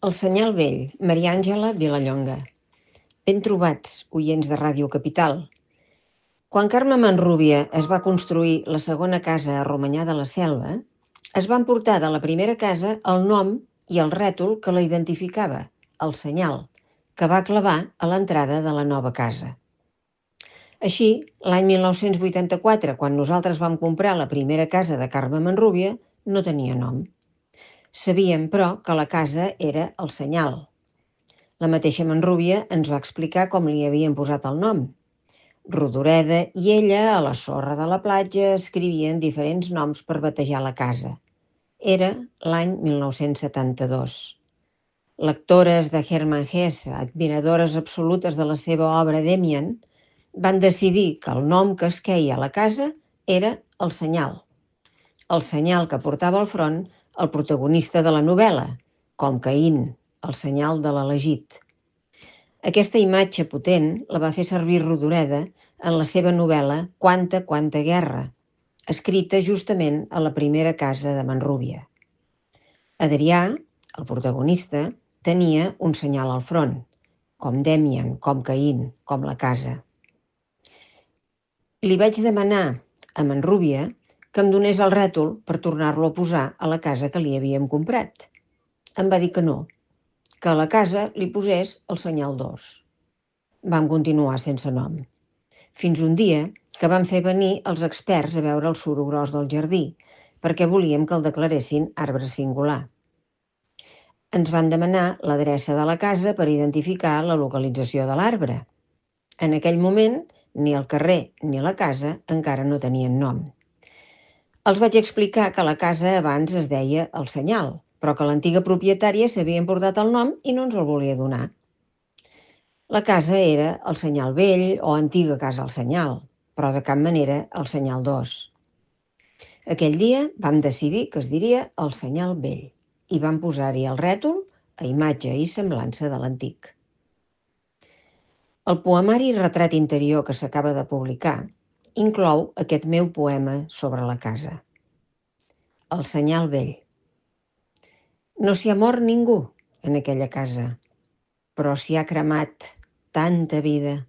El senyal vell, Maria Àngela Vilallonga. Ben trobats, oients de Ràdio Capital. Quan Carme Manrúbia es va construir la segona casa a Romanyà de la Selva, es van portar de la primera casa el nom i el rètol que la identificava, el senyal, que va clavar a l'entrada de la nova casa. Així, l'any 1984, quan nosaltres vam comprar la primera casa de Carme Manrúbia, no tenia nom. Sabíem, però, que la casa era el senyal. La mateixa Manrúbia ens va explicar com li havien posat el nom. Rodoreda i ella, a la sorra de la platja, escrivien diferents noms per batejar la casa. Era l'any 1972. Lectores de Hermann Hesse, admiradores absolutes de la seva obra Demian, van decidir que el nom que es queia a la casa era el senyal. El senyal que portava al front el protagonista de la novel·la, com Caín, el senyal de l'elegit. Aquesta imatge potent la va fer servir Rodoreda en la seva novel·la Quanta guerra, escrita justament a la primera casa de Manrúbia. Adrià, el protagonista, tenia un senyal al front, com Demian, com Caín, com la casa. Li vaig demanar a Manrúbia que em donés el rètol per tornar-lo a posar a la casa que li havíem comprat. Em va dir que no, que a la casa li posés el senyal 2. Vam continuar sense nom. Fins un dia que van fer venir els experts a veure el suro gros del jardí, perquè volíem que el declaressin arbre singular. Ens van demanar l'adreça de la casa per identificar la localització de l'arbre. En aquell moment, ni el carrer ni la casa encara no tenien nom. Els vaig explicar que la casa abans es deia El Senyal, però que l'antiga propietària s'havia emportat el nom i no ens el volia donar. La casa era el Senyal Vell o antiga casa El Senyal, però de cap manera el Senyal 2. Aquell dia vam decidir que es diria el Senyal Vell i vam posar-hi el rètol a imatge i semblança de l'antic. El poemari Retrat interior que s'acaba de publicar inclou aquest meu poema sobre la casa. El senyal vell. No s'hi ha mort ningú en aquella casa, però s'hi ha cremat tanta vida.